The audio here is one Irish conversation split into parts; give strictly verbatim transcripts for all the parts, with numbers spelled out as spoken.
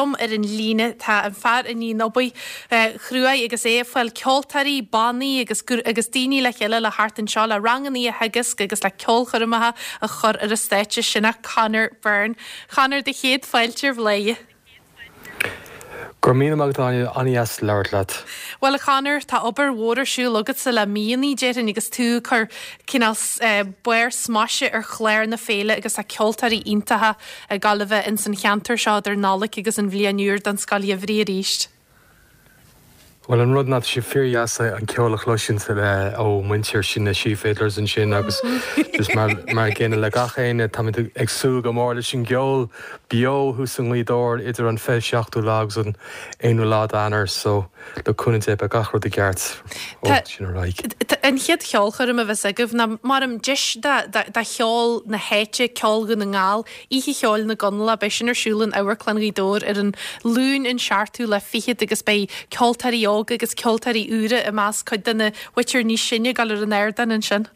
liom ar an líne tá an fear a níonn obair chruaidh agus é ag fáil ceoltóirí, bannaí agus agus daoine le chéile le thart anseo le ranganna a theagasc agus le ceolchoirmeacha a chur ar an stáitse sin é Conor Byrne. Conor do chéad fáilte ar Bhladhaire. Gur mí ag an-deas labhairt leat. Well a Chonor tá obair mhór ar siúl agatsa le míonna déarfainn agus tú ag cur cineál barr smaise ar chlár na féile agus tá ceoltóirí iontacha ag gabháil a bheith in san cheantar seo idir Nollaig agus an bhliain úr don Scoil Gheimhridh arís. Well an rud ná sé fíordheas an ceol a chloisint le ó muintir sin na Sí Fiddlers ansin agus just mar mar gcéanna le gach éinne tá ag súil go mór leis an gceol beo thuas i nGaoth Dobhair idir an fiche seachtú lá agus an aonú lá d'Eanáir so le cúnamh Dé beidh gach rud i gceart sin An chéad cheolchoirm a bheas agaibh ná mar an deis de cheol na háite ceol Dhún na nGall, Oíche Cheoil na gConallach beidh sin ar siúl in Amharclann Ghaoth Dobhair ar an Luan an seachtú lá fichead agus beidh ceoltóirí óga agus ceoltóirí úra i measc cuid de na mhuintir níos sine ag dul ar an ardán ansin.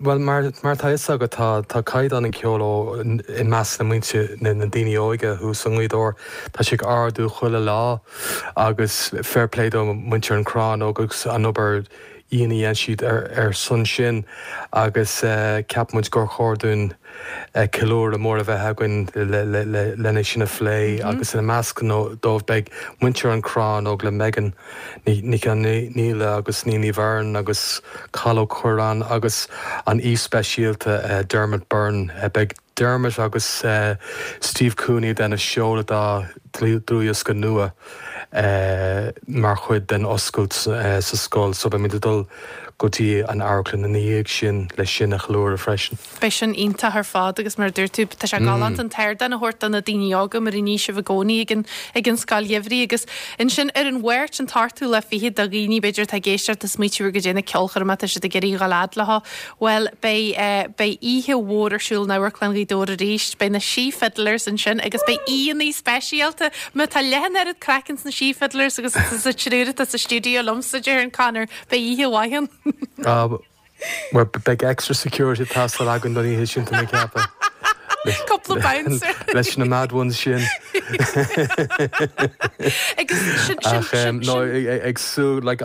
Well mar mar tá go tá tá caighdeán an ceol ó i measc na muintir na na daoine óga thuas i nGaoth Dobhair tá sé ag ardú chuile lá agus fair play do muintir an Crann agus an obair iontach a dhéan siad ar ar son sin agus uh, ceap muid gur chóir dúinn uh, ceiliúradh mór a bheith againn lena sin a phlé mm -hmm. agus ina measc dóibh beidh muintir an Crann Óg le Megan Ní Níle agus Níní Bhern agus Calo Cuaran agus an aoi speisialta uh, Dermot Byrne uh, beidh Dermot agus uh, Steve Cooney den a seoladh dá dlúthdhiosca nua uh, mar chuid den oscailt uh, sa scoil so beimid dul go dtí an amharclann ina dhiaidh sin le sin a cheiliúradh freisin. Beidh sin iontach ar fad agus mar dúirt tú tá sé galánta an t-ardán a thabhairt do na daoine óga mar a ní sibh i gcónaí ag an ag an scoil gheimhridh agus ansin ar an Mháirt an t-ochtú lá fichead do dhaoine b'fhéidir tá ag éisteacht is smaoitiú go dtí na ceolchoirme tá siad ag iarraidh dul fhad leo. Well beidh uh, beidh oíche mhór ar siúl in Amharclann Ghaoth Dobhair arís, beidh na Sí Fiddlers ansin agus beidh aíonna speisialta má tá leath an oiread craic ins na Sí Fiddlers agus sa triúr atá sa stiúideo liomsa déarfainn Conor beidh oíche mhaith ann. Uh, Well beidh extra security teastáil againn don oíche sin tá mé ceapadh. Couple bouncer. leis na mad ones sin. Agus sin sin sin no ag súil like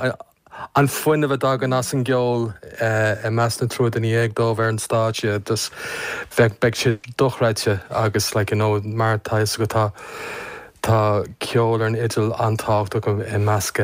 an fuinneamh a thagann as an gceol i measc na triúr duine dhéag dóibh ar an stáitse dus bheith beidh sé dochreidte agus like, you know, mar tá go tá tá ceol ar an fhidil an-tábhachtach i measc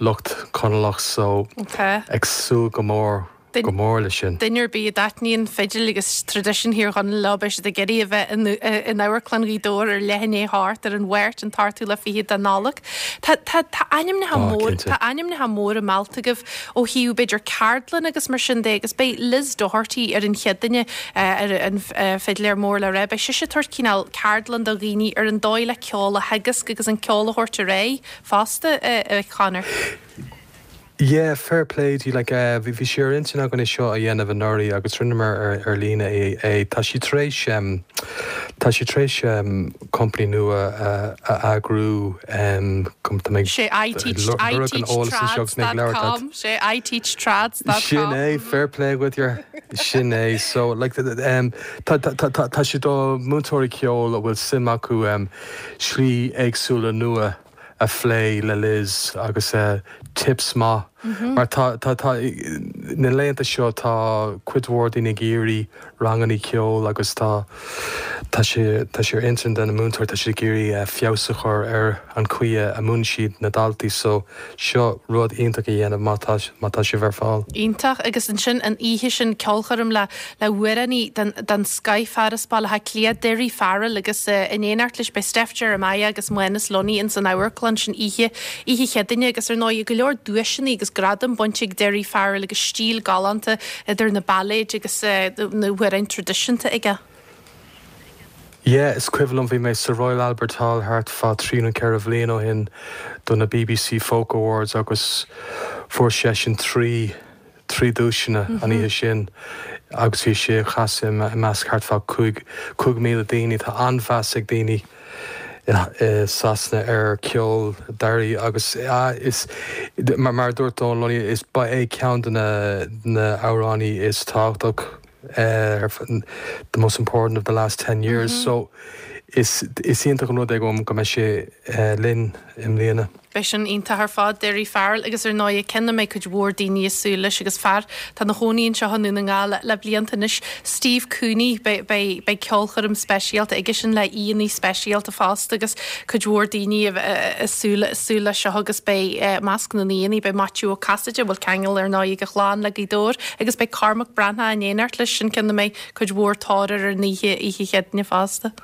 lucht Conallach so Okay. ag súil go mór go mór le sin. Duine ar bith a dtaitníonn fidil agus traidisiún Thír Chonaill leo beidh siad ag iarraidh a bheith in in Amharclann Ghaoth Dobhair ar leath i ndiaidh a hocht ar an Mháirt an t-ochtú lá fichead de Nollaig. Tá tá tá ainmneacha Á, mór cinnte. tá ainmneacha móra meallta agaibh ó thaobh b'fhéidir ceardlann agus mar sin de agus beidh Liz Doherty ar an chéad duine ar an fidléir mór le rá beidh sise ag tabhairt cineál ceardlann do dhaoine ar an dóigh le ceol a theagasc agus an ceol a thabhairt ar aghaidh fosta a Conor. Yeah, fair play di like uh, bhí bhí sé ar intinn againn é seo a dhéanamh anuraidh agus rinneamar ar ar líne é é tá sí tar éis um, tá sí tar éis um, company nua uh, a eagrú um, com tá mé Sé I teach I teach trads.com sé I teach trads.com Sin é fair play with your sin é so like the, um, tá tá tá tá tá sé do múinteoirí ceoil a bhfuil suim acu um, slí éagsúla nua a phlé le Liz agus uh, tips maith mm -hmm. mar tá tá tá na laethanta seo tá cuid mhór daoine ag iarraidh ranganna ceoil agus tá tá sé tá sé ar intinn den na múinteoir tá sé ag iarraidh uh, feabhas a chur ar an chaoi a múineann siad na daltaí so seo rud iontach a dhéanamh má tá má tá sé ar fáil. Iontach agus ansin an oíche sin ceolchoirm le le hamhránaí den den scoth fear as Baile Átha Cliath Daoirí Farrell agus uh, in éineacht leis beidh Steph Jeremiah agus Muenas Lunny in san amharclann sin oíche oíche Chéadaoine agus ar ndóigh go leor duaiseanna agus gradam bainte ag Daoirí Farrell agus stíl galánta idir na bailéid agus uh, na hamhráin traidisiúnta aige. Yeah, is cuimhin liom bhí mé sa Royal Albert Hall thart fá trí nó ceithre bhliain ó shin do na BBC Folk Awards agus fuair sé sin trí trí duaiseanna an oíche sin agus bhí sé ag casadh i measc thart fá cúig cúig míle daoine tá an-mheas ag daoine i Sasana ar ceol Daoirí agus is mar mar dúirt Dónal Lunny is ba é ceann de na na hamhránaithe is tábhachtach uh, the most important of the last ten years mm -hmm. so is is iontach an rud é go go mbeidh sé linn i mbliana. Beidh sin iontach ar fad Daoirí Farrell agus ar ndóigh ceann a mbeidh cuid mhór daoine ag súil leis agus fear atá ina chónaí anseo i nDún na nGall le blianta anois Steve Cooney beidh ceolchoirm speisialta aige sin le aíonna speisialta fosta agus cuid mhór daoine ag súil súil leis seo agus beidh i measc na n-aíonna beidh Maitiú Ó Casaide bhfuil ceangal ar ndóigh ag a chlann le Gaoth Dobhair agus beidh Cormac Breathnach in éineacht leis sin ceann a mbeidh cuid mhór tóir ar an oíche oíche Chéadaoine fosta.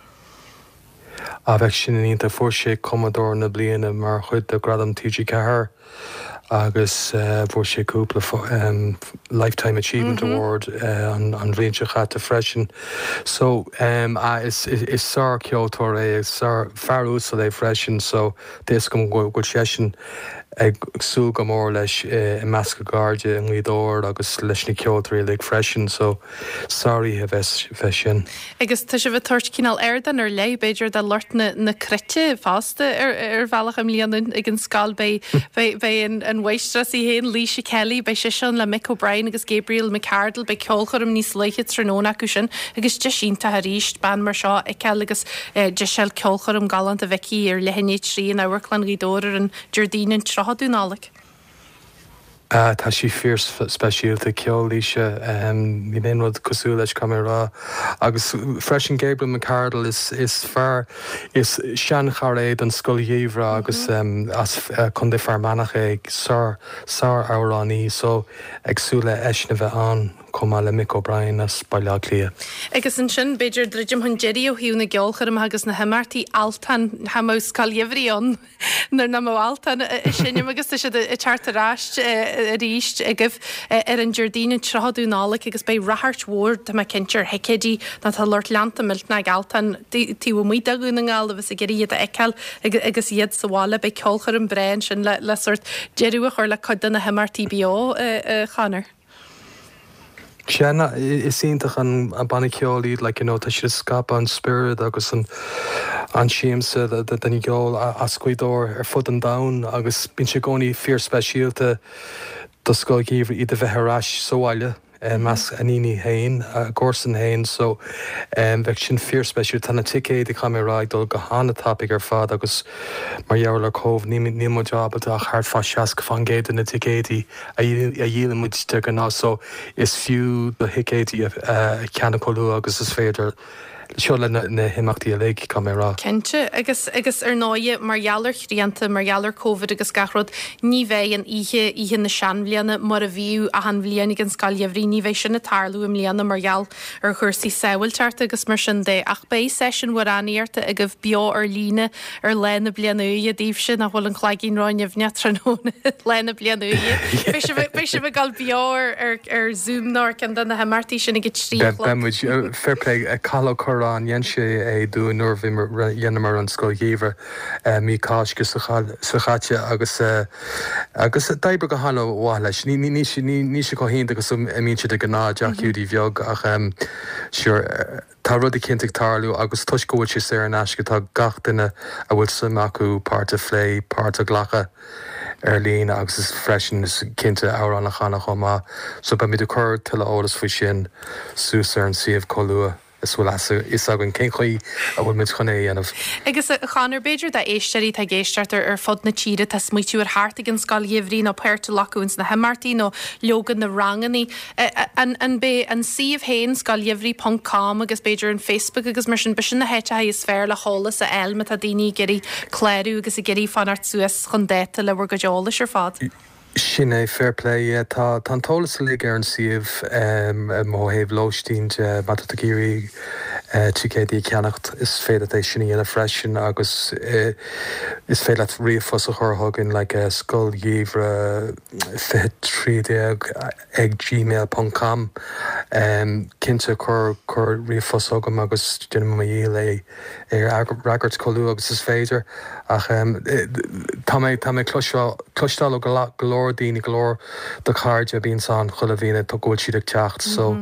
A bheidh sin iontach fuair sé cumadóir na bliana mar chuid de Gradam TG Ceathair agus uh, fuair sé cúpla um, Lifetime Achievement mm -hmm. Award uh, an, an bhliain seo chaite freisin. So um, uh, is, is, is sárcheoltóir é is sár-fhear uasal é freisin, so is go bhfuil seisean ag súil go mór leis i measc a chairde i nGaoth Dobhair agus leis na ceoltóirí uilig freisin, so sároíche bheas bheas sin. Agus tá sibh ag tabhairt cineál ardán ar leith b'fhéidir do lucht na, na cruite fosta ar, ar bhealach i mbliana ag an scoil beidh beidh an, an mháistreás í féin Laoise Kelly beidh sise ann le Mick O'Brien agus Gabriel McCardle beidh ceolchoirm níos luaithe tráthnóna acu sin agus deis iontach arís bean mar seo a fheiceáil agus eh, deis ceolchoirm galánta a bheith aici ar leath i ndiaidh a trí in Amharclann Ghaoth Dobhair ar an Déardaoin an tríochadú Nollaig. Uh, tá sí fíor speisialta ceol Laoise um, níl aon rud cosúil leis caithfidh mé a rá agus freisin Gabriel McCardle is is fear is seanchara é don scoil gheimhridh agus um, as uh, Contae Fear Manach é sár sár-amhránaí so ag súil le eisean a bheith ann chomh maith le Mick O'Brien as Baile Átha Cliath. Agus ansin b'fhéidir druidim chun deiridh ó thaobh na gceolchoirmeacha agus na himeachtaí Altan cha mbeadh scoil gheimhridh ann nuair nach mbeadh Altan ag seinm agus tá siad ag teacht ar ais arís agaibh ar an Déardaoin an tríochadú Nollaig agus beidh ráchairt mhór tá mé cinnte ar thicéidí nó tá lucht leanta millteanach ag Altan taobh amuigh de Dhún na nGall agus ag iarraidh iad a fheiceáil agus iad sa bhaile beidh ceolchoirm breá ansin le le sórt deireadh a chur le cuid de na himeachtaí beo a Chonor. Sin is iontach an an banna ceoil iad like, you know, tá siad scaipeadh an spiorad agus an an siamsa den gceol as Gaoth Dobhair ar fud an domhain agus bíonn sé i gcónaí fíor speisialta do scoil gheimhridh iad a bheith ar ais sa bhaile measc a ndaoine féin a gcomharsan féin so um, bheadh sin fíor speisialta tá na ticéid caithfidh mé a rá ag dul go han-tapaidh ar fad agus mar gheall ar Covid ní muid ábalta ach thart fá seasca faoin gcéad de na ticéidí a dhíolann muid de ghnáth so is fiú do thicéidí a cheannach chomh luath agus is féidir seo le na himeachtaí uilig caithfidh mé a rá. Cinnte agus agus ar ndóigh mar gheall ar shrianta mar gheall ar Covid agus gach rud ní bheidh an oíche oíche na seanbhliana mar a bhíodh achan bhliain ag an scoil gheimhridh ní bheidh sin ag tarlú i mbliana mar gheall ar chúrsaí sábháilteachta agus mar sin de ach beidh seisiún amhránaíochta agaibh beo ar líne ar Lá na Bliana Úire daoibhse nach bhfuil an cloigeann ró-nimhneach tráthnóna Lá na Bliana Úire. Beidh sibh ag dul beo ar ar Zoom nó ar ceann de na himeachtaí sin ag a trí a chlog. Beidh muid fair play Cathal Ó Curráin dhein sé é dúinn nuair a dheineamar an scoil gheimhridh mí Cásca seo chaite agus agus d'oibrigh go han-mhaith leis. Ní ní ní sé chomh hiontach agus a mbíonn sé de ghnáth i dteach Hiúdaí Bheag ach sure tá rud éicint ag tarlú agus toisc go bhfuil sé saor in aisce tá gach duine a bhfuil suim acu páirt a phlé, páirt a ghlacadh ar líne agus is freisin is cinnte amhrán a chanadh chomh maith. So beimid ag cur tuilleadh eolas faoi sin suas ar an suíomh chomh luath is bhfuil a fhios againn cén chaoi a bhfuil muid chun é a dhéanamh. Agus a Chonor b'fhéidir d'éisteoirí atá ag éisteacht ar ar fud na tíre tá smaoitiú ar theacht ag an scoil gheimhridh nó páirt a ghlacadh ins na himeachtaí nó leoga na rangannaí. An an b'é an suíomh féin scoilgheimhridh ponc com agus b'fhéidir an Facebook agus mar sin b'shin na háiteacha is fearr le heolas a fháil má tá daoine ag iarraidh clárú agus ag iarraidh fanacht suas chun dáta le bhur gcuid eolais ar fad. Sin é fair play yeah. Tá tá an t-eolas uilig ar an suíomh um, ó thaobh lóistín de má tá tú ag iarraidh uh, ticéidí a cheannacht is féidir é sin a dhéanamh freisin agus uh, is féidir leat ríomhphost a chur chugainn like, uh, scoil gheimhridh fiche trí déag ag gmail ponc com um, cinnte cuir cuir ríomhphost chugam agus déanfaidh mé mo dhícheall é é a fhreagairt chomh luath agus is féidir ach um, tá mé tá mé cloisteáil ó go leor daoine go leor de chairde a bhíonn ann chuile bhliain go bhfuil siad ag teacht so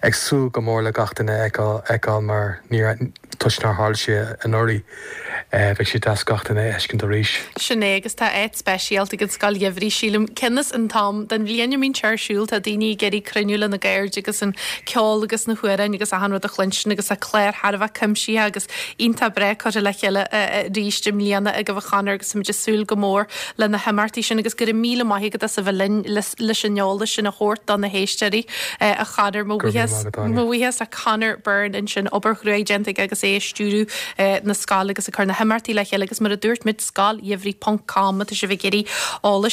ag súil go mór le gach duine a fheiceáil mar níor toisc nár tharla sé anuraidh Bheadh sé deas gach duine a fheiscint arís. Sin é agus tá áit speisialta ag an scoil gheimhridh sílim cionn is an t-am den bhliain a mbíonn sé ar siúl tá daoine ag iarraidh cruinniú lena gcairde agus an ceol agus na hamhráin agus achan rud a chluinstin agus tá clár thar a bheith cuimsitheach agus iontach breá curtha le chéile arís i mbliana ag a Chonor agus muid ag súil go mór le na himeachtaí sin agus go raibh míle maith agat as a bheith linn leis an eolas sin a thabhairt do na héisteoirí a Chonor mo bhuíochas le Conor Byrne ansin obair chrua déanta agus é ag stiúradh na scoile agus ag cur na himeachtaí le chéile agus mar a dúirt muid scoil gheimhridh ponc com tá sibh ag iarraidh eolas